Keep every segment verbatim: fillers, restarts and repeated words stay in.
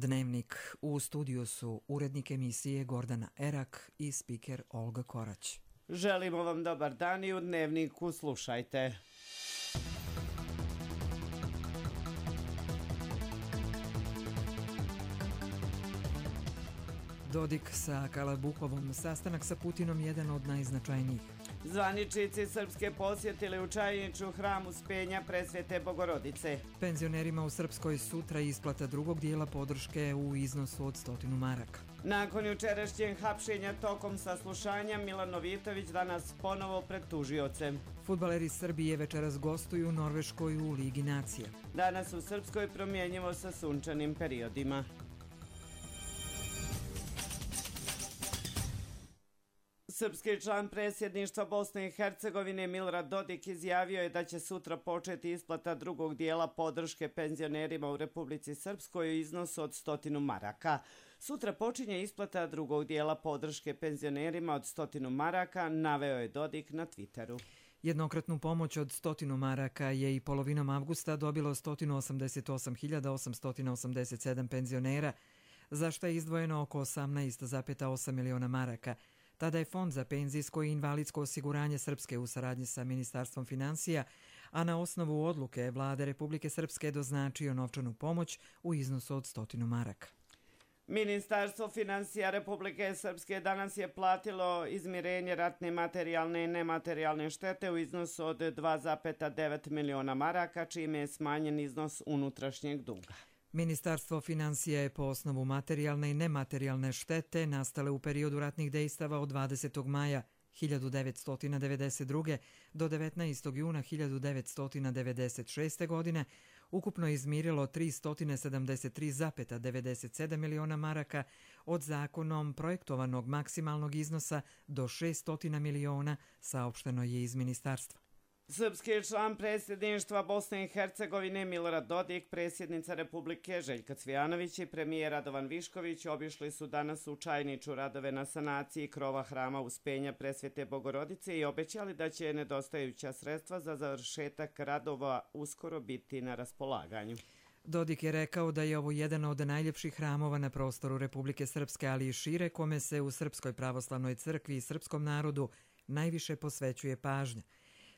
Dnevnik. U studiju su urednik emisije Gordana Erak i spiker Olga Korać. Želimo vam dobar dan i u Dnevniku slušajte. Dodik sa Kalabuhovom, sastanak sa Putinom jedan od najznačajnijih. Zvaničnici Srpske posjetili u Čajniču hram Uspenja Presvete Bogorodice. Penzionerima u Srpskoj sutra isplata drugog dijela podrške u iznosu od stotinu maraka. Nakon jučerašnjeg hapšenja tokom saslušanja, Milan Novitović danas ponovo pred tužiocem. Fudbaleri Srbije večeras gostuju u Norveškoj u Ligi nacija. Danas u Srpskoj promjenjivo sa sunčanim periodima. Srpski član predsjedništva Bosne i Hercegovine Milorad Dodik izjavio je da će sutra početi isplata drugog dijela podrške penzionerima u Republici Srpskoj u iznosu od stotinu maraka. Sutra počinje isplata drugog dijela podrške penzionerima od stotinu maraka, naveo je Dodik na Twitteru. Jednokratnu pomoć od stotinu maraka je i polovinom avgusta dobilo sto osamdeset osam hiljada osamsto osamdeset sedam penzionera, za što je izdvojeno oko osamnaest zarez osam miliona maraka. Tada je Fond za penzijsko i invalidsko osiguranje Srpske u saradnji sa Ministarstvom finansija, a na osnovu odluke Vlade Republike Srpske doznačio novčanu pomoć u iznosu od stotinu maraka. Ministarstvo finansija Republike Srpske danas je platilo izmirenje ratne materijalne i nematerijalne štete u iznosu od dva zarez devet miliona maraka, čime je smanjen iznos unutrašnjeg duga. Ministarstvo finansija je po osnovu materijalne i nematerijalne štete nastale u periodu ratnih dejstava od dvadesetog maja hiljadu devetsto devedeset druge. do devetnaestog juna hiljadu devetsto devedeset šeste. godine ukupno izmirilo tristo sedamdeset tri zarez devedeset sedam miliona maraka od zakonom projektovanog maksimalnog iznosa do šesto miliona, saopšteno je iz ministarstva. Srpski član predsjedništva Bosne i Hercegovine Milorad Dodik, predsjednica Republike Željka Cvijanović i premijer Radovan Višković obišli su danas u Čajniču radove na sanaciji krova hrama Uspenja Presvete Bogorodice i obećali da će nedostajuća sredstva za završetak radova uskoro biti na raspolaganju. Dodik je rekao da je ovo jedan od najljepših hramova na prostoru Republike Srpske, ali i šire, kome se u Srpskoj pravoslavnoj crkvi i srpskom narodu najviše posvećuje pažnja.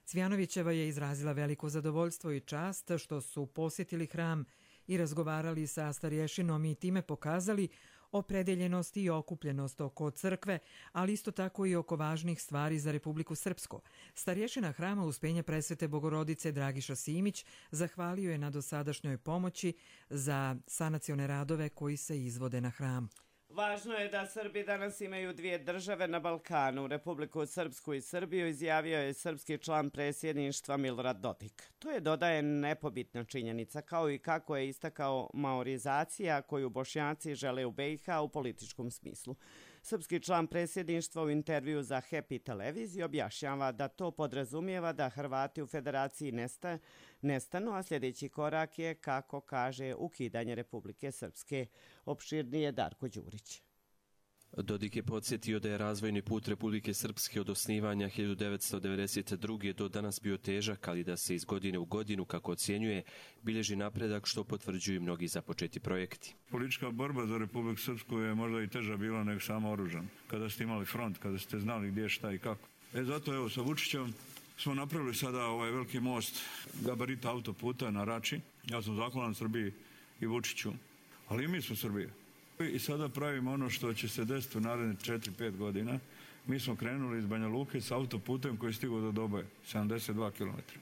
Cvijanovićeva je izrazila veliko zadovoljstvo i čast što su posjetili hram i razgovarali sa starješinom i time pokazali opredeljenost i okupljenost oko crkve, ali isto tako i oko važnih stvari za Republiku Srpsku. Starješina hrama Uspenja Presvete Bogorodice Dragiša Simić zahvalio je na dosadašnjoj pomoći za sanacione radove koji se izvode na hram. Važno je da Srbi danas imaju dvije države na Balkanu, Republiku Srpsku i Srbiju, izjavio je srpski član predsjedništva Milorad Dodik. To je, dodaje, nepobitna činjenica, kao i kako je istakao maorizacija koju Bošnjaci žele u B i H u političkom smislu. Srpski član predsjedništva u intervju za Happy televiziju objašnjava da to podrazumijeva da Hrvati u federaciji nesta, nestanu, a sljedeći korak je, kako kaže, ukidanje Republike Srpske. Opširnije Darko Đurić. Dodik je podsjetio da je razvojni put Republike Srpske od osnivanja hiljadu devetsto devedeset druge. do danas bio težak, ali da se iz godine u godinu, kako ocjenjuje, bilježi napredak, što potvrđuju mnogi započeti projekti. Politička borba za Republiku Srpsku je možda i teža bila nego samo oružan. Kada ste imali front, kada ste znali gdje, šta i kako. E zato evo sa Vučićem smo napravili sada ovaj veliki most gabarita autoputa na Rači. Ja sam zahvalan Srbiji i Vučiću, ali i mi smo Srbija. I sada pravimo ono što će se desiti u naredne četiri pet godina. Mi smo krenuli iz Banja Luke s autoputem koji je stigao do Doboje, sedamdeset dva kilometra.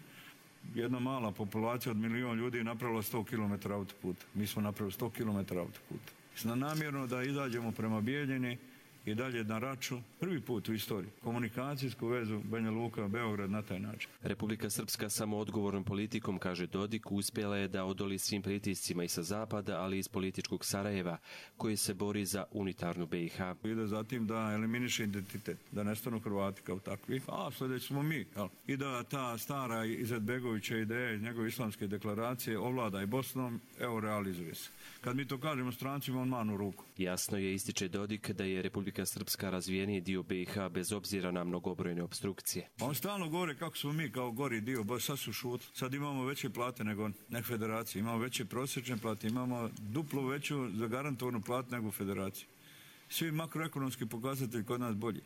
Jedna mala populacija od milion ljudi je napravila sto kilometara autoputa. Mi smo napravili sto kilometara autoputa. Namjerno da izađemo prema Bijeljini i dalje na Raču, prvi put u istoriji, komunikacijsku vezu Banja Luka, Beograd na taj način. Republika Srpska samo odgovornom politikom, kaže Dodik, uspjela je da odoli svim pritiscima i sa zapada, ali i iz političkog Sarajeva, koji se bori za unitarnu B i H. Ide zatim da eliminiše identitet, da nestanu Hrvati kao takvi, a sljedeći smo mi. Jel? I da ta stara Izetbegovića ideja iz njegove islamske deklaracije ovlada i Bosnom, evo realizuje se. Kad mi to kažemo strancima, on manu ruku. Jasno je, ističe Dodik, da je Republika Republika Srpska razvijeniji dio B i H bez obzira na mnogobrojne obstrukcije. On stalno govore kako smo mi kao gori dio, bo sad su šut. Sad imamo veće plate nego nek federacije, imamo veće prosječne plate, imamo duplo veću zagarantovanu platu nego federaciju. Svi makroekonomski pokazatelji kod nas bolji.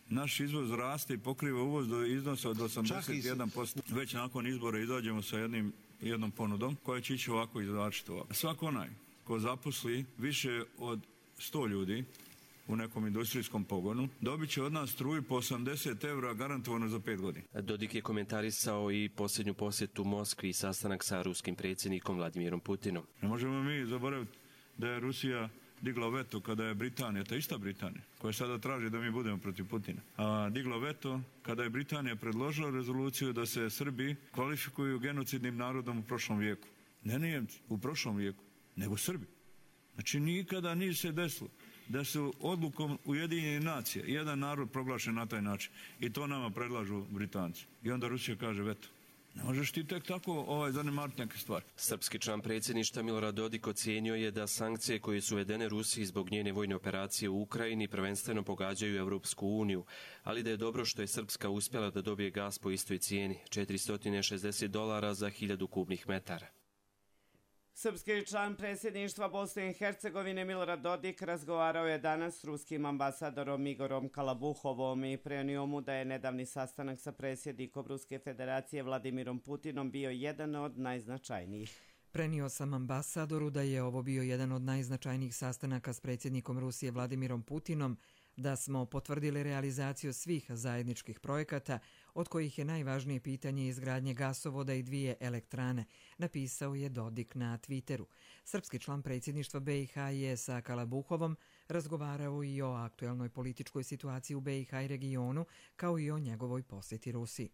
Naš izvoz raste i pokriva uvoz do iznosa od osamdeset jedan posto. Već nakon izbora izađemo sa jednim, jednom ponudom koja će ići ovako izvlačiti ovako. Svako onaj ko zaposli više od sto ljudi u nekom industrijskom pogonu, dobit će od nas struju po osamdeset evra garantovano za pet godina. Dodik je komentarisao i posljednju posjetu Moskvi i sastanak sa ruskim predsjednikom Vladimirom Putinom. Ne možemo mi zaboraviti da je Rusija digla veto kada je Britanija, ta ista Britanija, koja sada traži da mi budemo protiv Putina, a digla veto kada je Britanija predložila rezoluciju da se Srbi kvalifikuju genocidnim narodom u prošlom vijeku. Ne Nijemci, u prošlom vijeku, nego Srbi. Znači nikada nije se desilo da su odlukom Ujedinjenih nacija jedan narod proglašen na taj način. I to nama predlažu Britanci. I onda Rusija kaže veto. Ne možeš ti tek tako ovaj, zanemariti neke stvari. Srpski član predsjedništva Milorad Dodik ocijenio je da sankcije koje su uvedene Rusiji zbog njene vojne operacije u Ukrajini prvenstveno pogađaju Evropsku uniju, ali da je dobro što je Srpska uspjela da dobije gas po istoj cijeni, četiristo šezdeset dolara za hiljadu kubnih metara. Srpski član predsjedništva Bosne i Hercegovine Milorad Dodik razgovarao je danas s ruskim ambasadorom Igorom Kalabuhovom i prenio mu da je nedavni sastanak sa predsjednikom Ruske federacije Vladimirom Putinom bio jedan od najznačajnijih. Prenio sam ambasadoru da je ovo bio jedan od najznačajnijih sastanaka s predsjednikom Rusije Vladimirom Putinom, da smo potvrdili realizaciju svih zajedničkih projekata, od kojih je najvažnije pitanje izgradnje gasovoda i dvije elektrane, napisao je Dodik na Twitteru. Srpski član predsjedništva B i H je sa Kalabuhovom razgovarao i o aktuelnoj političkoj situaciji u B i H i regionu, kao i o njegovoj posjeti Rusiji.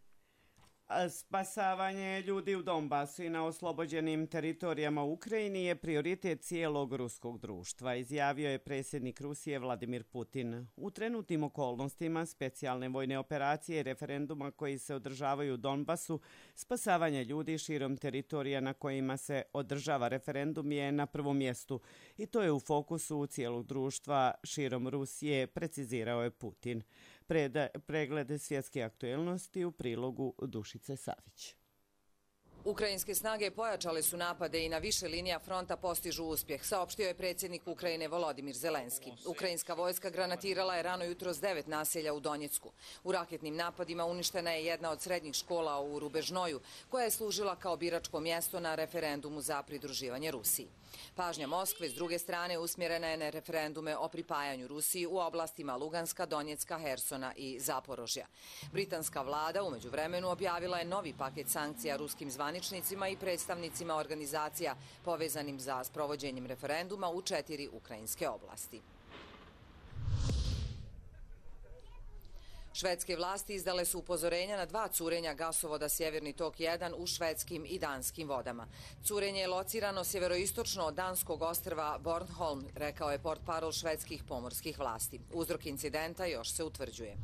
Spasavanje ljudi u Donbasu i na oslobođenim teritorijama u Ukrajini je prioritet cijelog ruskog društva, izjavio je predsjednik Rusije Vladimir Putin. U trenutnim okolnostima specijalne vojne operacije i referenduma koji se održavaju u Donbasu, spasavanje ljudi širom teritorija na kojima se održava referendum je na prvom mjestu i to je u fokusu cijelog društva širom Rusije, precizirao je Putin. Preda, pregled svjetske aktuelnosti u prilogu Dušice Savić. Ukrajinske snage pojačale su napade i na više linija fronta postižu uspjeh, saopštio je predsjednik Ukrajine Volodimir Zelenski. Ukrajinska vojska granatirala je rano jutro s devet naselja u Donjecku. U raketnim napadima uništena je jedna od srednjih škola u Rubežnoju, koja je služila kao biračko mjesto na referendumu za pridruživanje Rusiji. Pažnja Moskve, s druge strane, usmjerena je na referendume o pripajanju Rusiji u oblastima Luganska, Donjecka, Hersona i Zaporožja. Britanska vlada u međuvremenu objavila je novi paket sankcija ruskim zvaničnicima i predstavnicima organizacija povezanim za sprovođenjem referenduma u četiri ukrajinske oblasti. Švedske vlasti izdale su upozorenja na dva curenja gasovoda Sjeverni tok jedan u švedskim i danskim vodama. Curenje je locirano sjeveroistočno od danskog ostrva Bornholm, rekao je portparol švedskih pomorskih vlasti. Uzrok incidenta još se utvrđuje.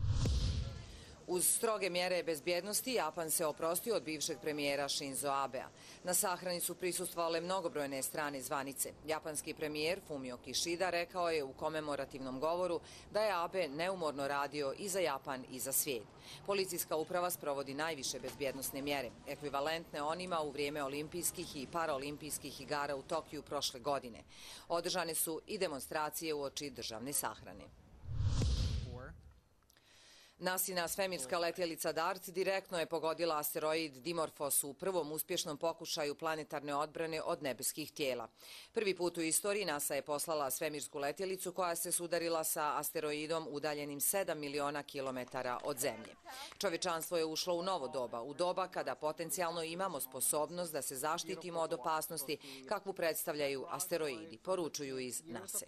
Uz stroge mjere bezbjednosti, Japan se oprostio od bivšeg premijera Shinzo Abea. Na sahrani su prisustvovale mnogobrojne strane zvanice. Japanski premijer Fumio Kishida rekao je u komemorativnom govoru da je Abe neumorno radio i za Japan i za svijet. Policijska uprava sprovodi najviše bezbjednosne mjere, ekvivalentne onima u vrijeme olimpijskih i paraolimpijskih igara u Tokiju prošle godine. Održane su i demonstracije uoči državne sahrane. NASIna svemirska letjelica DART direktno je pogodila asteroid Dimorphos u prvom uspješnom pokušaju planetarne odbrane od nebeskih tijela. Prvi put u istoriji NASA je poslala svemirsku letjelicu koja se sudarila sa asteroidom udaljenim sedam miliona kilometara od Zemlje. Čovječanstvo je ušlo u novo doba, u doba kada potencijalno imamo sposobnost da se zaštitimo od opasnosti kakvu predstavljaju asteroidi, poručuju iz NASA.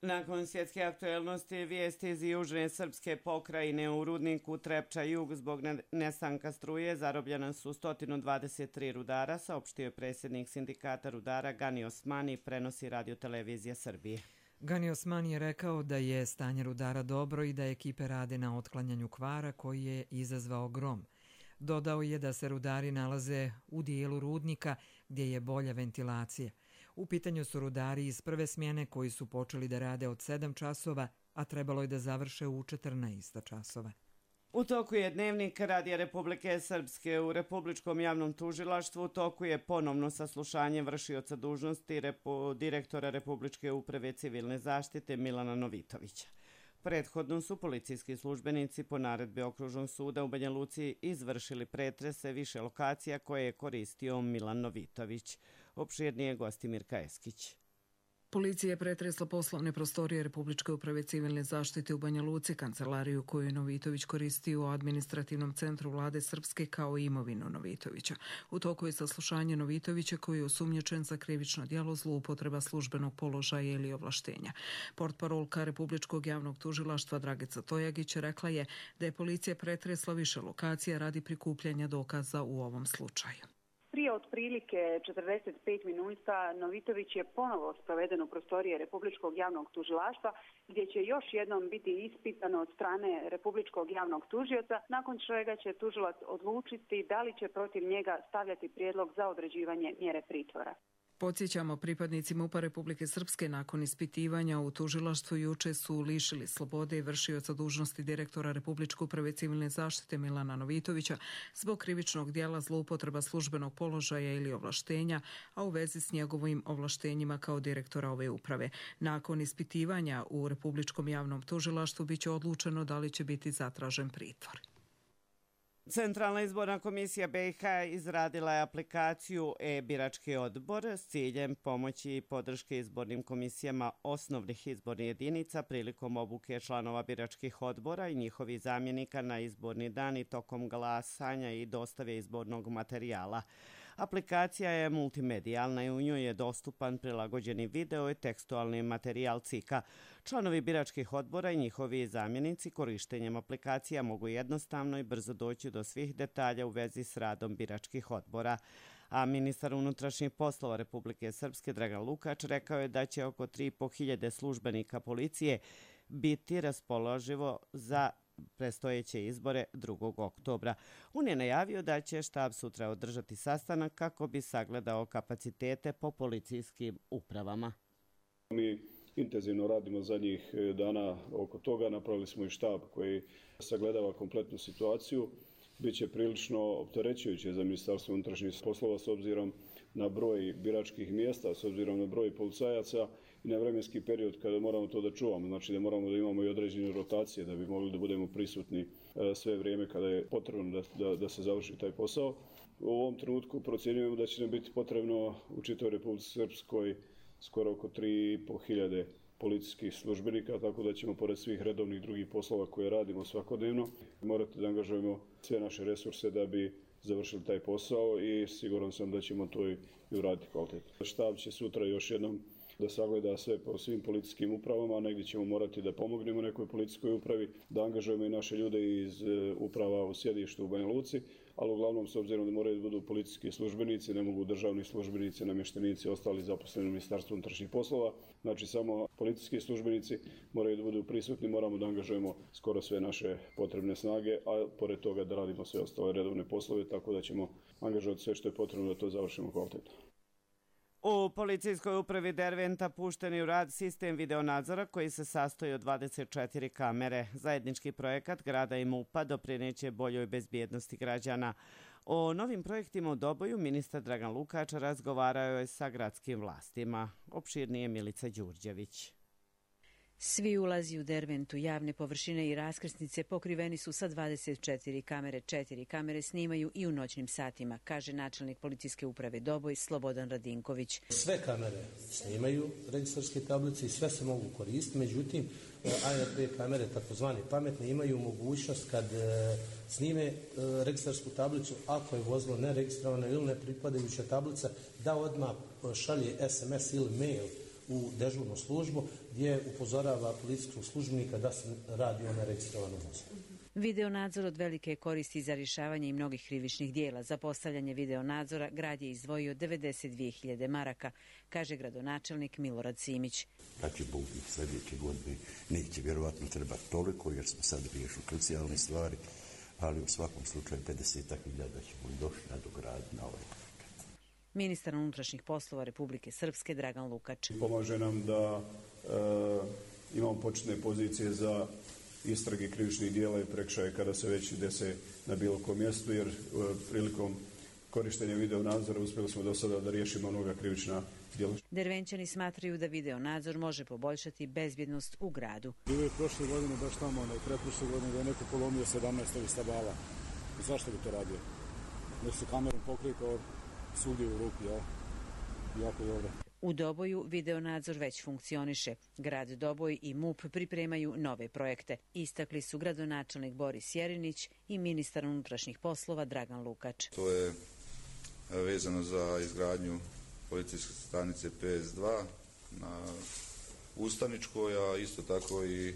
Nakon svjetske aktuelnosti, vijesti iz južne srpske pokrajine u rudniku Trepča Jug zbog nestanka struje zarobljena su sto dvadeset tri rudara, saopštio je predsjednik sindikata rudara Gani Osmani, prenosi radiotelevizija Srbije. Gani Osmani je rekao da je stanje rudara dobro i da ekipe rade na otklanjanju kvara koji je izazvao grom. Dodao je da se rudari nalaze u dijelu rudnika gdje je bolja ventilacija. U pitanju su rudari iz prve smjene koji su počeli da rade od sedam časova a trebalo je da završe u četrnaest časova. U toku je Dnevnik Radija Republike Srpske. U Republičkom javnom tužilaštvu u toku je ponovno saslušanje vršioca dužnosti repu, direktora Republičke uprave civilne zaštite Milana Novitovića. Prethodno su policijski službenici po naredbi Okružnog suda u Banja Luci izvršili pretrese više lokacija koje je koristio Milan Novitović. Opširnije Gostimir Kajeskić. Policija je pretresla poslovne prostorije Republičke uprave civilne zaštite u Banja Luci, kancelariju koju je Novitović koristio u administrativnom centru vlade Srpske kao i imovinu Novitovića. U toku je saslušanje Novitovića koji je osumnjičen za krivično djelo zloupotreba službenog položaja ili ovlaštenja. Portparolka Republičkog javnog tužilaštva Dragica Tojagić rekla je da je policija pretresla više lokacija radi prikupljanja dokaza u ovom slučaju. Prije otprilike četrdeset pet minuta Novitović je ponovo sproveden u prostorije Republičkog javnog tužilaštva gdje će još jednom biti ispitan od strane Republičkog javnog tužioca, nakon čega će tužilac odlučiti da li će protiv njega stavljati prijedlog za određivanje mjere pritvora. Podsjećamo, pripadnici MUP-a Republike Srpske nakon ispitivanja u tužilaštvu juče su lišili slobode i vršioca dužnosti direktora Republičke uprave civilne zaštite Milana Novitovića zbog krivičnog djela zloupotreba službenog položaja ili ovlaštenja, a u vezi s njegovim ovlaštenjima kao direktora ove uprave. Nakon ispitivanja u Republičkom javnom tužilaštvu biće odlučeno da li će biti zatražen pritvor. Centralna izborna komisija B i H izradila je aplikaciju e-birački odbor s ciljem pomoći i podrške izbornim komisijama osnovnih izbornih jedinica prilikom obuke članova biračkih odbora i njihovih zamjenika na izborni dan i tokom glasanja i dostave izbornog materijala. Aplikacija je multimedijalna i u njoj je dostupan prilagođeni video i tekstualni materijal C I K-a. Članovi biračkih odbora i njihovi zamjenici korištenjem aplikacija mogu jednostavno i brzo doći do svih detalja u vezi s radom biračkih odbora. A ministar unutrašnjih poslova Republike Srpske Dragan Lukač rekao je da će oko tri i po hiljade službenika policije biti raspoloživo za predstojeće izbore drugog oktobra. On je najavio da će štab sutra održati sastanak kako bi sagledao kapacitete po policijskim upravama. Mi intenzivno radimo zadnjih dana oko toga. Napravili smo i štab koji sagledava kompletnu situaciju. Biće prilično opterećujuće za Ministarstvo unutrašnjih poslova s obzirom na broj biračkih mjesta, s obzirom na broj policajaca i na vremenski period kada moramo to da čuvamo. Znači da moramo da imamo i određene rotacije da bi mogli da budemo prisutni sve vrijeme kada je potrebno da, da, da se završi taj posao. U ovom trenutku procjenjujemo da će nam biti potrebno u čitavoj Republici Srpskoj skoro oko tri i po hiljade policijskih službenika, tako da ćemo pored svih redovnih drugih poslova koje radimo svakodnevno morati da angažujemo sve naše resurse da bi završili taj posao i siguran sam da ćemo to i uraditi kvalitetno. Štab će sutra još jednom da sagleda sve po svim policijskim upravama, negdje ćemo morati da pomognemo nekoj policijskoj upravi, da angažujemo i naše ljude iz uprava u sjedištu u Banja Luci, ali uglavnom s obzirom da moraju da budu policijski službenici, ne mogu državni službenici, namještenici, ostali zaposleni u Ministarstvu unutrašnjih poslova. Znači samo policijski službenici moraju da budu prisutni, moramo da angažujemo skoro sve naše potrebne snage, a pored toga da radimo sve ostale redovne poslove, tako da ćemo angažovati sve što je potrebno da to završimo kvalitetno. U policijskoj upravi Derventa pušten je u rad sistem videonadzora koji se sastoji od dvadeset četiri kamere. Zajednički projekat grada i MUP-a doprineće boljoj bezbjednosti građana. O novim projektima u Doboju ministar Dragan Lukač razgovarao je sa gradskim vlastima. Opširnije Milica Đurđević. Svi ulazi u Derventu, javne površine i raskrsnice pokriveni su sa dvadeset četiri kamere. Četiri kamere snimaju i u noćnim satima, kaže načelnik policijske uprave Doboj Slobodan Radinković. Sve kamere snimaju registarske tablice i sve se mogu koristiti, međutim A R B kamere, takozvane pametne, imaju mogućnost kad snime registarsku tablicu, ako je vozilo neregistrovano ili nepripadajuća tablica, da odmah šalje S M S ili mail u dežurnu službu gdje upozorava policijskog službenika da se radi o neregistrovanom vozilu. Videonadzor od velike je koristi za rješavanje i mnogih krivičnih dijela. Za postavljanje videonadzora grad je izdvojio devedeset dvije hiljade maraka, kaže gradonačelnik Milorad Simić. Kad će biti sljedeće godine, neće vjerovatno trebati toliko jer smo sad riješili krucijalne stvari, ali u svakom slučaju pedeset hiljada ćemo došli na dograditi na ovaj. Ministar unutrašnjih poslova Republike Srpske Dragan Lukač. Pomaže nam da e, imamo početne pozicije za istrage krivičnih dijela i prekršaje kada se već dese na bilo kom mjestu, jer prilikom korištenja video nadzora uspjeli smo do sada da riješimo mnoga krivična djela. Dervenčani smatraju da video nadzor može poboljšati bezbjednost u gradu. Bilo je prošle godine baš tamo, ne, pretprošle godine da je neko polomio sedamnaest ovih stabala. Zašto bi to radio? Nek se kamerom pokrije kao svugdje u rupi, ja? Jako dobro. U Doboju video nadzor već funkcioniše. Grad Doboj i M U P pripremaju nove projekte. Istakli su gradonačelnik Boris Jerinić i ministar unutrašnjih poslova Dragan Lukač. To je vezano za izgradnju policijske stanice P S dva na Ustaničkoj, a isto tako i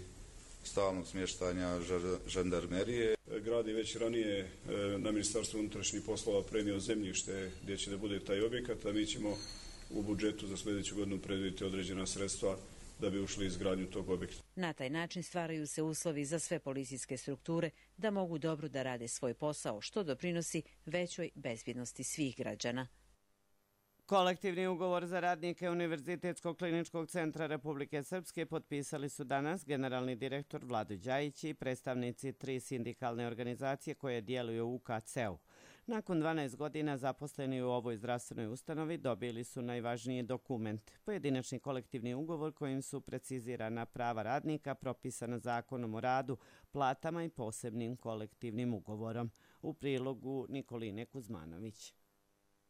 stalnog smještanja žandarmerije. Grad je već ranije na Ministarstvu unutrašnjih poslova premio zemljište gdje će da bude taj objekat, a mi ćemo u budžetu za sljedeću godinu predvidjeti određena sredstva da bi ušli izgradnju tog objekta. Na taj način stvaraju se uslovi za sve policijske strukture da mogu dobro da rade svoj posao, što doprinosi većoj bezbjednosti svih građana. Kolektivni ugovor za radnike Univerzitetskog kliničkog centra Republike Srpske potpisali su danas generalni direktor Vlado Đajić i predstavnici tri sindikalne organizacije koje djeluju u U K C-u. Nakon dvanaest godina zaposleni u ovoj zdravstvenoj ustanovi dobili su najvažniji dokument, pojedinačni kolektivni ugovor kojim su precizirana prava radnika propisana Zakonom o radu, platama i posebnim kolektivnim ugovorom. U prilogu Nikoline Kuzmanović.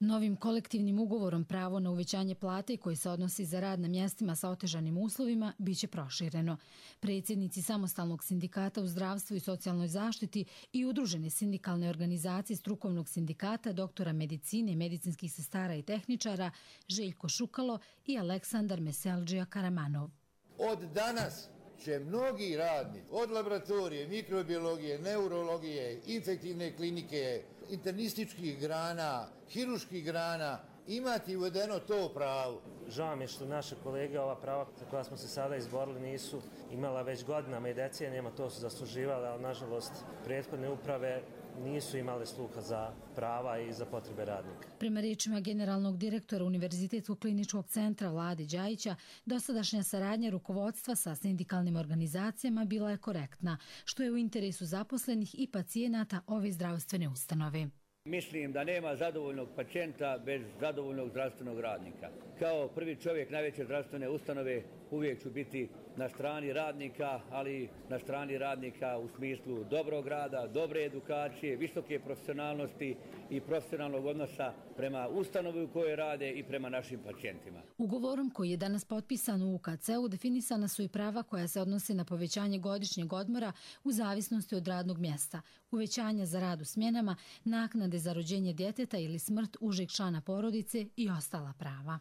Novim kolektivnim ugovorom pravo na uvećanje plate koji se odnosi za rad na mjestima sa otežanim uslovima biće prošireno. Predsjednici samostalnog sindikata u zdravstvu i socijalnoj zaštiti i udružene sindikalne organizacije strukovnog sindikata doktora medicine, medicinskih sestara i tehničara Željko Šukalo i Aleksandar Meseldžija Karamanov. Od danas će mnogi radnici od laboratorije, mikrobiologije, neurologije, infektivne klinike, internističkih grana, hiruških grana imati uvedeno to pravo. Žao mi je što naše kolege ova prava za koja smo se sada izborili nisu imala već godinama i decenijama, to su zasluživali, ali nažalost prethodne uprave nisu imale sluha za prava i za potrebe radnika. Prema riječima generalnog direktora Univerzitetskog kliničkog centra Vlade Đajića, dosadašnja saradnja rukovodstva sa sindikalnim organizacijama bila je korektna, što je u interesu zaposlenih i pacijenata ove zdravstvene ustanove. Mislim da nema zadovoljnog pacijenta bez zadovoljnog zdravstvenog radnika. Kao prvi čovjek najveće zdravstvene ustanove uvijek ću biti na strani radnika, ali na strani radnika u smislu dobrog rada, dobre edukacije, visoke profesionalnosti i profesionalnog odnosa prema ustanovi u kojoj rade i prema našim pacijentima. Ugovorom koji je danas potpisan u U K C-u definisana su i prava koja se odnose na povećanje godišnjeg odmora u zavisnosti od radnog mjesta, uvećanja za rad u smjenama, naknade za rođenje djeteta ili smrt užeg člana porodice i ostala prava.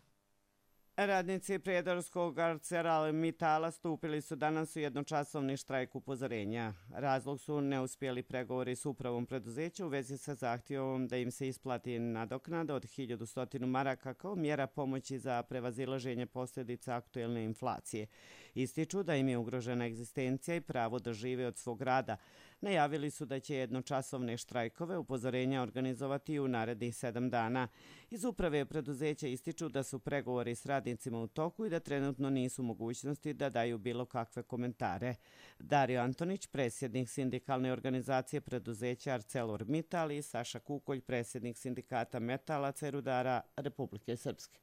Radnici Prijedorskog ArcelorMittala stupili su danas u jednočasovni štrajk upozorenja. Razlog su neuspjeli pregovori s upravom preduzeća u vezi sa zahtjevom da im se isplati nadoknada od hiljadu sto maraka kao mjera pomoći za prevazilaženje posljedica aktuelne inflacije. Ističu da im je ugrožena egzistencija i pravo da žive od svog rada. Najavili su da će jednočasovne štrajkove upozorenja organizovati u narednih sedam dana. Iz uprave preduzeća ističu da su pregovori s radnicima u toku i da trenutno nisu mogućnosti da daju bilo kakve komentare. Dario Antonić, predsjednik sindikalne organizacije preduzeća ArcelorMittal i Saša Kukolj, predsjednik sindikata metalaca i rudara Republike Srpske.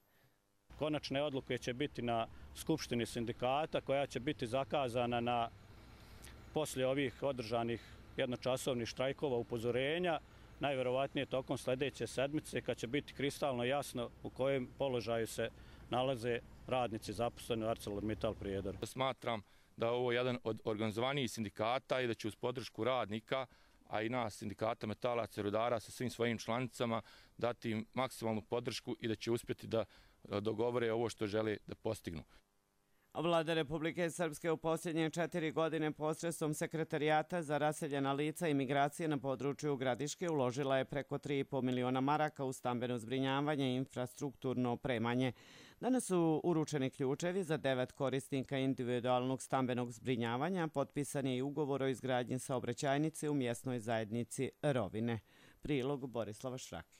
Konačne odluke će biti na Skupštini sindikata koja će biti zakazana na poslije ovih održanih jednočasovnih štrajkova upozorenja, najvjerovatnije tokom sljedeće sedmice kad će biti kristalno jasno u kojem položaju se nalaze radnici zaposleni u ArcelorMittal Prijedor. Smatram da je ovo jedan od organizovanijih sindikata i da će uz podršku radnika, a i nas sindikata metalaca i rudara sa svim svojim članicama dati im maksimalnu podršku i da će uspjeti da dogovore ovo što žele da postignu. Vlada Republike Srpske u posljednje četiri godine posredstvom Sekretarijata za raseljena lica i migracije na području Gradiške uložila je preko tri i po miliona maraka u stambeno zbrinjavanje i infrastrukturno opremanje. Danas su uručeni ključevi za devet korisnika individualnog stambenog zbrinjavanja, potpisan je i ugovor o izgradnji saobraćajnice u mjesnoj zajednici Rovine. Prilog Borislava Šraki.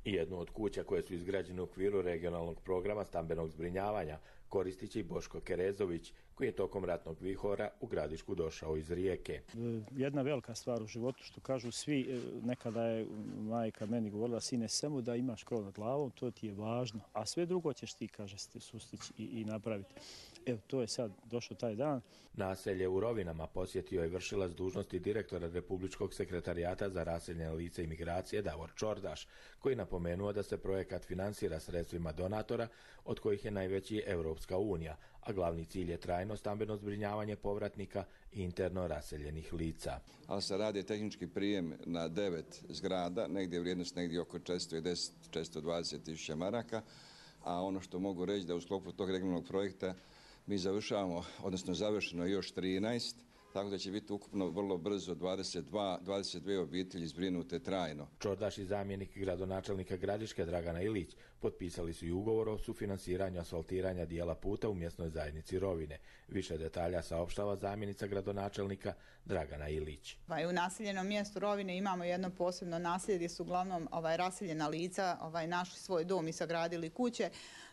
Jednu od kuća koje su izgrađene u okviru regionalnog programa stambenog zbrinjavanja koristit će i Boško Kerezović, koji je tokom ratnog vihora u Gradišku došao iz Rijeke. Jedna velika stvar u životu, što kažu svi, nekada je majka meni govorila, sine, samo da imaš krov nad glavom, to ti je važno, a sve drugo ćeš ti, kaže, sustići i, i napraviti. Evo, to je sad došao taj dan. Naselje u Rovinama posjetio je vršilac dužnosti direktora Republičkog sekretarijata za raseljene lice i migracije Davor Čordaš, koji napomenuo da se projekat finansira sredstvima donatora, od kojih je najveći Europska unija, a glavni cilj je trajno stambeno zbrinjavanje povratnika i interno raseljenih lica. Ali se radi tehnički prijem na devet zgrada, negdje vrijednost negdje oko četiristo deset do četiristo dvadeset tisuća maraka, a ono što mogu reći da u sklopu tog regionalnog projekta mi završavamo, odnosno završeno još trinaest, tako da će biti ukupno vrlo brzo dvadeset dva, dvadeset dvije obitelji zbrinute trajno. Čordaš i zamjenik gradonačelnika Gradiške Dragana Ilić potpisali su i ugovor o sufinansiranju asfaltiranja dijela puta u mjesnoj zajednici Rovine. Više detalja saopštava zamjenica gradonačelnika Dragana Ilić. U naseljenom mjestu Rovine imamo jedno posebno naselje gdje su uglavnom ovaj, raseljena lica ovaj, našli svoj dom i sagradili kuće.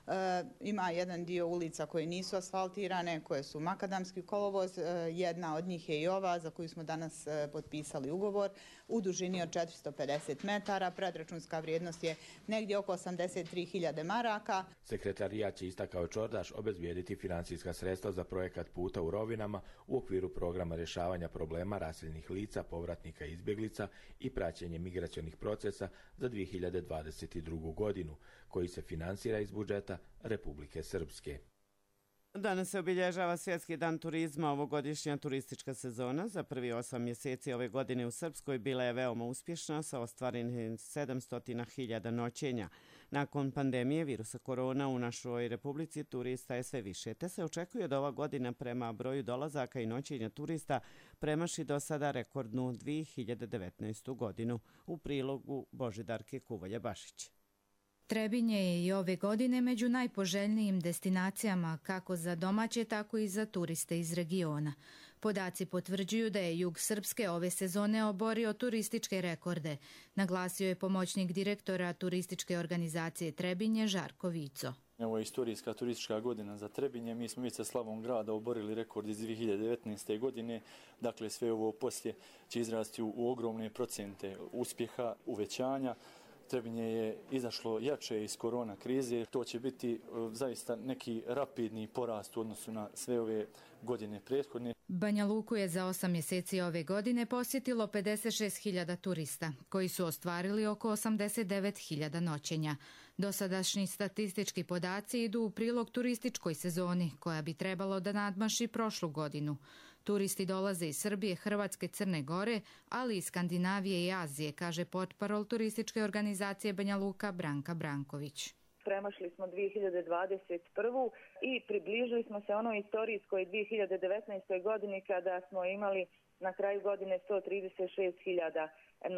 E, ima jedan dio ulica koje nisu asfaltirane, koje su makadamski kolovoz. E, jedna od njih je i ova za koju smo danas e, potpisali ugovor u dužini od četiristo pedeset metara. Predračunska vrijednost je negdje oko osamdeset tri hiljade maraka. Sekretarijat će, istakao Čordaš, obezbijediti financijska sredstva za projekat puta u Rovinama u okviru programa rješavanja problema raseljenih lica, povratnika i izbjeglica i praćenje migracionih procesa za dvije hiljade dvadeset drugu. godinu, koji se finansira iz budžeta Republike Srpske. Danas se obilježava Svjetski dan turizma. Ovogodišnja turistička sezona za prvi osam mjeseci ove godine u Srpskoj bila je veoma uspješna sa ostvarenih sedamsto hiljada noćenja. Nakon pandemije virusa korona u našoj Republici turista je sve više, te se očekuje da ova godina prema broju dolazaka i noćenja turista premaši do sada rekordnu dvije hiljade devetnaestu. godinu. U prilogu Božidarke Kuvolje-Bašić. Trebinje je i ove godine među najpoželjnijim destinacijama kako za domaće, tako i za turiste iz regiona. Podaci potvrđuju da je jug Srpske ove sezone oborio turističke rekorde, naglasio je pomoćnik direktora turističke organizacije Trebinje Žarko Vico. Ovo je istorijska turistička godina za Trebinje. Mi smo već sa slavom grada oborili rekord iz dvije hiljade devetnaeste. godine. Dakle, sve ovo poslije će izrasti u, u ogromne procente uspjeha, uvećanja. Trebinje je izašlo jače iz korona krize. To će biti zaista neki rapidni porast u odnosu na sve ove godine prethodne. Banja Luku je za osam mjeseci ove godine posjetilo pedeset šest hiljada turista, koji su ostvarili oko osamdeset devet hiljada noćenja. Dosadašnji statistički podaci idu u prilog turističkoj sezoni, koja bi trebalo da nadmaši prošlu godinu. Turisti dolaze iz Srbije, Hrvatske, Crne Gore, ali i Skandinavije i Azije, kaže portparol turističke organizacije Banja Luka Branka Branković. Premašili smo dvije hiljade dvadeset prvu. i približili smo se onoj istorijskoj dvije hiljade devetnaestoj. godini kada smo imali na kraju godine sto trideset šest hiljada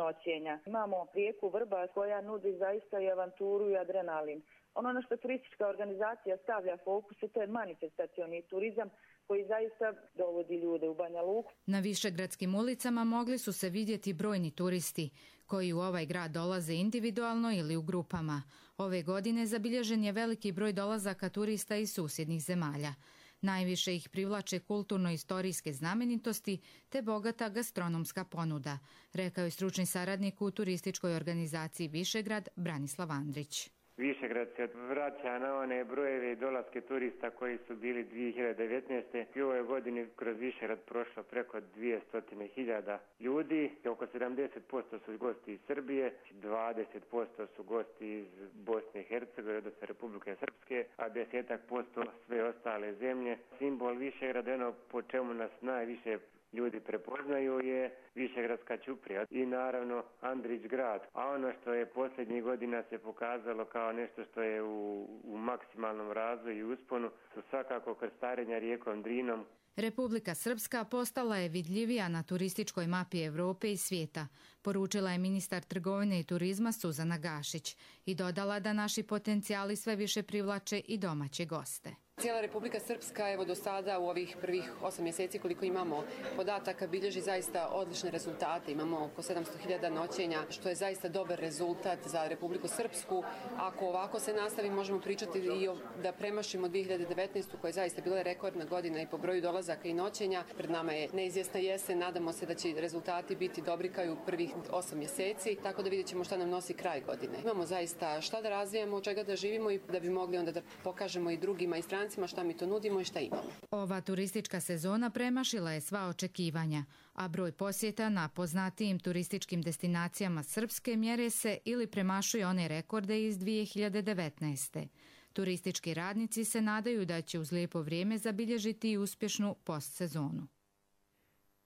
noćenja. Imamo rijeku Vrbas koja nudi zaista i avanturu i adrenalin. Ono na što turistička organizacija stavlja fokus, to je manifestacioni turizam koji zaista dovodi ljude u Banja Luku. Na višegradskim ulicama mogli su se vidjeti brojni turisti koji u ovaj grad dolaze individualno ili u grupama. Ove godine zabilježen je veliki broj dolazaka turista iz susjednih zemalja. Najviše ih privlače kulturno-istorijske znamenitosti te bogata gastronomska ponuda, rekao je stručni saradnik u turističkoj organizaciji Višegrad Branislav Andrić. Višegrad se vraća na one brojeve dolaske turista koji su bili dvije hiljade devetnaeste. I u ovoj godini kroz Višegrad prošlo preko dvjesto hiljada ljudi. Oko sedamdeset posto su gosti iz Srbije, dvadeset posto su gosti iz Bosne i Hercegovine, odnosno Republike Srpske, a deset posto sve ostale zemlje. Simbol Višegrada, ono po čemu nas najviše ljudi prepoznaju, je Višegradska ćuprija i naravno Andrić grad. A ono što je posljednjih godina se pokazalo kao nešto što je u, u maksimalnom razvoju i usponu su svakako krstarenja rijekom Drinom. Republika Srpska postala je vidljivija na turističkoj mapi Evrope i svijeta, poručila je ministar trgovine i turizma Suzana Gašić i dodala da naši potencijali sve više privlače i domaće goste. Cijela Republika Srpska, evo do sada u ovih prvih osam mjeseci koliko imamo podataka, bilježi zaista odlične rezultate. Imamo oko sedamsto hiljada noćenja, što je zaista dobar rezultat za Republiku Srpsku. Ako ovako se nastavi, možemo pričati i o, da premašimo dvije hiljade devetnaestu. koja je zaista bila rekordna godina i po broju dolazaka i noćenja. Pred nama je neizvjesna jesen, nadamo se da će rezultati biti dobri kao i u prvih osam mjeseci, tako da vidjet ćemo šta nam nosi kraj godine. Imamo zaista šta da razvijamo, od čega da živimo i da bi mogli onda da pokažemo i drugima i strancima šta mi to nudimo i šta imamo. Ova turistička sezona premašila je sva očekivanja, a broj posjeta na poznatijim turističkim destinacijama Srpske mjere se ili premašuje one rekorde iz dvije hiljade devetnaeste. Turistički radnici se nadaju da će uz lijepo vrijeme zabilježiti i uspješnu postsezonu.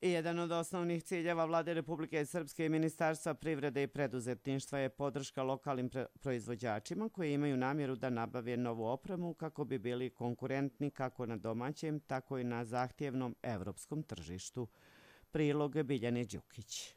I jedan od osnovnih ciljeva Vlade Republike Srpske i Ministarstva privrede i preduzetništva je podrška lokalnim proizvođačima koji imaju namjeru da nabave novu opremu kako bi bili konkurentni kako na domaćem, tako i na zahtjevnom evropskom tržištu. Prilog Biljane Đukić.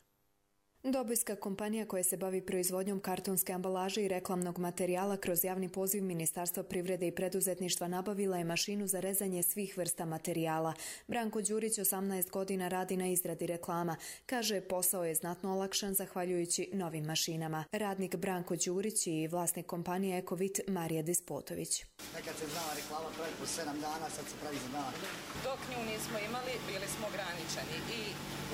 Dobojska kompanija koja se bavi proizvodnjom kartonske ambalaže i reklamnog materijala kroz javni poziv Ministarstva privrede i preduzetništva nabavila je mašinu za rezanje svih vrsta materijala. Branko Đurić osamnaest godina radi na izradi reklama. Kaže, posao je znatno olakšan zahvaljujući novim mašinama. Radnik Branko Đurić i vlasnik kompanije Ekovit Marija Despotović. Nekad se znala reklama pravi po sedam dana, sad se pravi za dan. Dok nju nismo imali, bili smo ograničeni i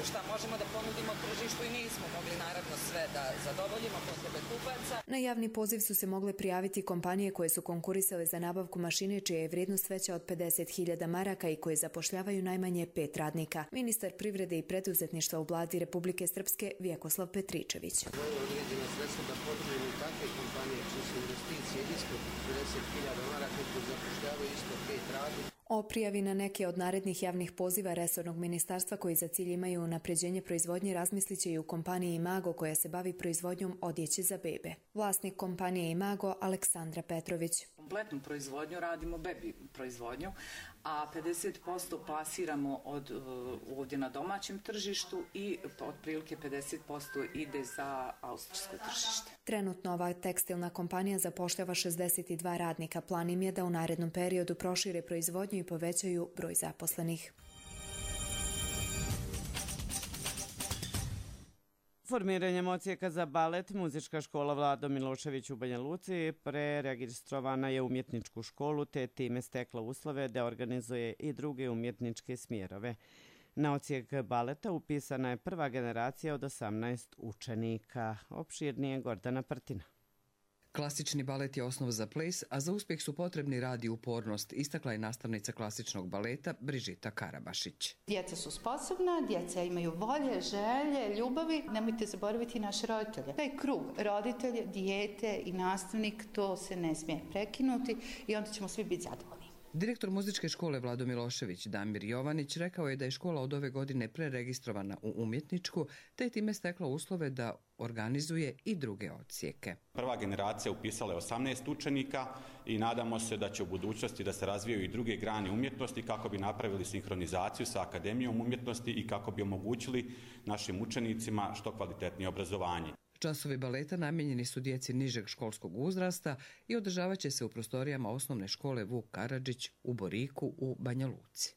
šta možemo da ponudimo tržištu i nismo mogli naravno sve da zadovoljimo potrebe kupaca. Na javni poziv su se mogle prijaviti kompanije koje su konkurisale za nabavku mašine čija je vrijednost veća od pedeset hiljada maraka i koje zapošljavaju najmanje pet radnika. Ministar privrede i preduzetništva u Vladi Republike Srpske Vjekoslav Petričević. Ovo je određeno sredstvo da potrebni takve kompanije čije su investicije ispod pedeset hiljada maraka koji zapošljavaju isto pet radnika. O prijavi na neke od narednih javnih poziva resornog ministarstva koji za cilj imaju unapređenje proizvodnje razmislit će i u kompaniji Imago koja se bavi proizvodnjom odjeće za bebe. Vlasnik kompanije Imago Aleksandra Petrović. Kompletnu proizvodnju radimo bebi proizvodnju, a pedeset posto plasiramo od, ovdje na domaćem tržištu i otprilike pedeset posto ide za austrijsko tržište. Trenutno ova tekstilna kompanija zapošljava šezdeset dva radnika. Plan im je da u narednom periodu prošire proizvodnju i povećaju broj zaposlenih. Formiranjem odsjeka za balet, muzička škola Vlado Milošević u Banja Luci preregistrovana je umjetničku školu te time stekla uslove da organizuje i druge umjetničke smjerove. Na odsjek baleta upisana je prva generacija od osamnaest učenika. Opširnije Gordana Prtina. Klasični balet je osnov za ples, a za uspjeh su potrebni rad i upornost, istakla je nastavnica klasičnog baleta Brižita Karabašić. Djeca su sposobna, djeca imaju volje, želje, ljubavi. Nemojte zaboraviti naše roditelje. Taj krug, roditelje, dijete i nastavnik, to se ne smije prekinuti i onda ćemo svi biti zadovoljni. Direktor muzičke škole Vlado Milošević Damir Jovanić rekao je da je škola od ove godine preregistrovana u umjetničku, te je time stekla uslove da organizuje i druge odsjeke. Prva generacija upisala je osamnaest učenika i nadamo se da će u budućnosti da se razvijaju i druge grane umjetnosti kako bi napravili sinhronizaciju sa Akademijom umjetnosti i kako bi omogućili našim učenicima što kvalitetnije obrazovanje. Časovi baleta namijenjeni su djeci nižeg školskog uzrasta i održavat će se u prostorijama osnovne škole Vuk Karadžić u Boriku u Banja Luci.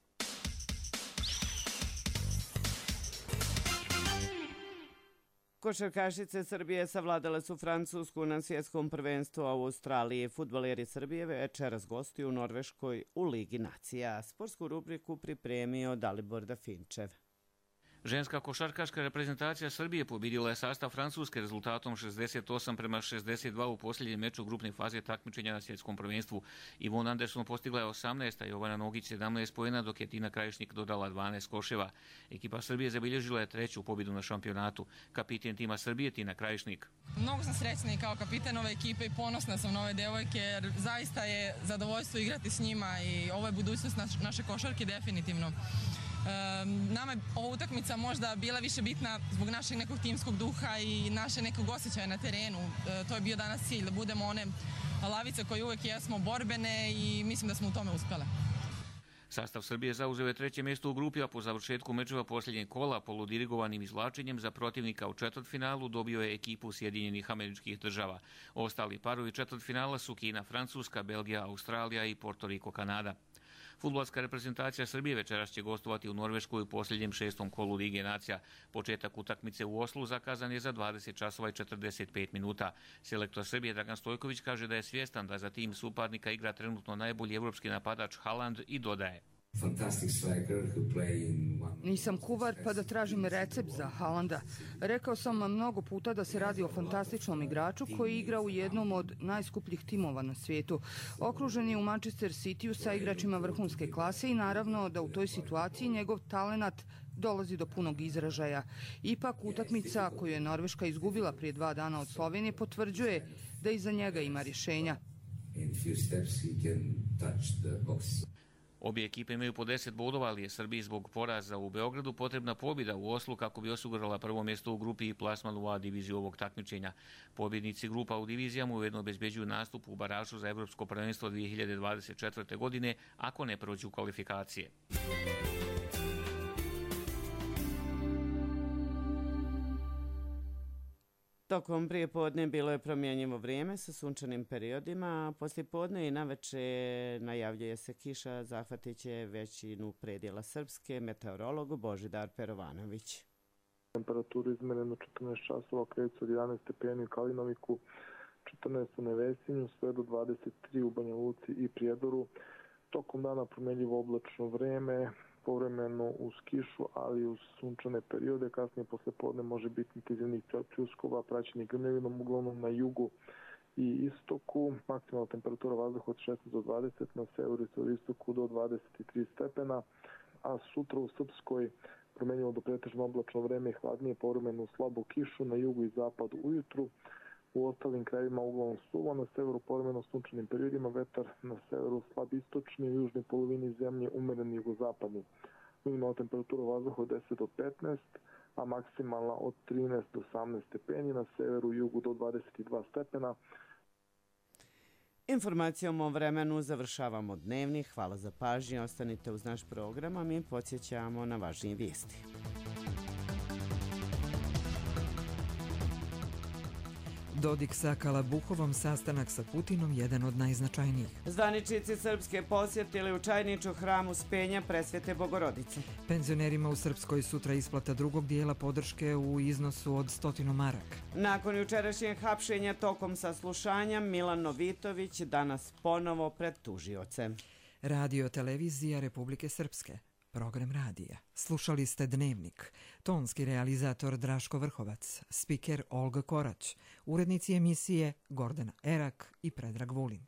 Košarkašice Srbije savladale su Francusku na svjetskom prvenstvu u Australiji. Fudbaleri Srbije večeras gostuju u Norveškoj u Ligi nacija. Sportsku rubriku pripremio Dalibor Dafinčev. Ženska košarkaška reprezentacija Srbije pobjedila je sastav Francuske rezultatom šezdeset osam prema šezdeset dva u posljednjem meču grupne faze takmičenja na svjetskom prvenstvu. Ivon Anderson postigla je osamnaest, a Jovana Nogić sedamnaest poena, dok je Tina Krajišnik dodala dvanaest koševa. Ekipa Srbije zabilježila je treću pobjedu na šampionatu. Kapiten tima Srbije Tina Krajišnik. Mnogo sam srećna i kao kapiten ove ekipe i ponosna sam na ove devojke jer zaista je zadovoljstvo igrati s njima i ovo je budućnost naše košarke definitivno. Nama je ova utakmica možda bila više bitna zbog našeg nekog timskog duha i naše nekog osjećaja na terenu. To je bio danas cilj, da budemo one lavice koje uvijek jesmo borbene i mislim da smo u tome uspjele. Sastav Srbije zauzeo je treće mjesto u grupi, a po završetku mečeva posljednjeg kola poludirigovanim izvlačenjem za protivnika u četvrtfinalu dobio je ekipu Sjedinjenih Američkih Država. Ostali parovi četvrtfinala su Kina, Francuska, Belgija, Australija i Porto Riko, Kanada. Fudbalska reprezentacija Srbije večeras će gostovati u Norveškoj u posljednjem šestom kolu Lige nacija. Početak utakmice u Oslu zakazan je za dvadeset časova i četrdeset pet minuta. Selektor Srbije Dragan Stojković kaže da je svjestan da za tim suparnika igra trenutno najbolji evropski napadač Haaland i dodaje: Nisam kuvar pa da tražim recept za Haalanda. Rekao sam vam mnogo puta da se radi o fantastičnom igraču koji igra u jednom od najskupljih timova na svijetu. Okružen je u Manchester Cityu sa igračima vrhunske klase i naravno da u toj situaciji njegov talenat dolazi do punog izražaja. Ipak utakmica koju je Norveška izgubila prije dva dana od Slovenije potvrđuje da iza njega ima rješenja. Obje ekipe imaju po deset bodova, ali je Srbiji zbog poraza u Beogradu potrebna pobjeda u Oslu kako bi osigurala prvo mjesto u grupi i plasman u A diviziju ovog takmičenja. Pobjednici grupa u divizijama ujedno obezbeđuju nastup u baražu za Evropsko prvenstvo dvije hiljade dvadeset četvrte. godine ako ne prođu kvalifikacije. Tokom prije podne bilo je promjenjivo vrijeme sa sunčanim periodima, a poslije podne i naveče najavljuje se kiša, zahvatit će većinu predjela Srpske, meteorolog Božidar Perovanović. Temperaturu izmereno četrnaest časova kreću od jedanaest stepeni u Kalinoviku, četrnaest u Nevesinju, sve do dvadeset tri u Banja Luci i Prijedoru. Tokom dana promjenjivo oblačno vreme, povremeno uz kišu, ali uz sunčane periode. Kasnije posle podne može biti intenzivnih pljuskova, praćenih grmljavinom, uglavnom na jugu i istoku. Maksimalna temperatura vazduha od šesnaest do dvadeset, na severu i istoku do dvadeset tri stepena, a sutra u Srpskoj promjenjivo do pretežno oblačno vreme, hladnije, povremeno slabu kišu, na jugu i zapadu ujutru. U ostalim krajevima uglavnom suvo, na severu povremeno sunčanim periodima, vetar na severu slab istočni, u južnoj polovini zemlje umeren jugozapadni. Minimalna temperatura vazduha od deset do petnaest, a maksimalna od trinaest do osamnaest stepeni, na severu i jugu do dvadeset dva stepena. Informacijom o vremenu završavamo dnevnik. Hvala za pažnju, ostanite uz naš program, a mi podsjećamo na važnije vijesti. Dodik sa Kalabuhovom, sastanak sa Putinom jedan od najznačajnijih. Zvaničnici Srpske posjetili u Čajniču hram Uspenja Presvete Bogorodice. Penzionerima u Srpskoj sutra isplata drugog dijela podrške u iznosu od stotinu maraka. Nakon jučerašnjeg hapšenja tokom saslušanja, Milan Novitović danas ponovo pred tužiocem. Radio televizija Republike Srpske. Program radija. Slušali ste Dnevnik. Tonski realizator Draško Vrhovac, spiker Olga Korać, urednici emisije Gordana Erak i Predrag Vulin.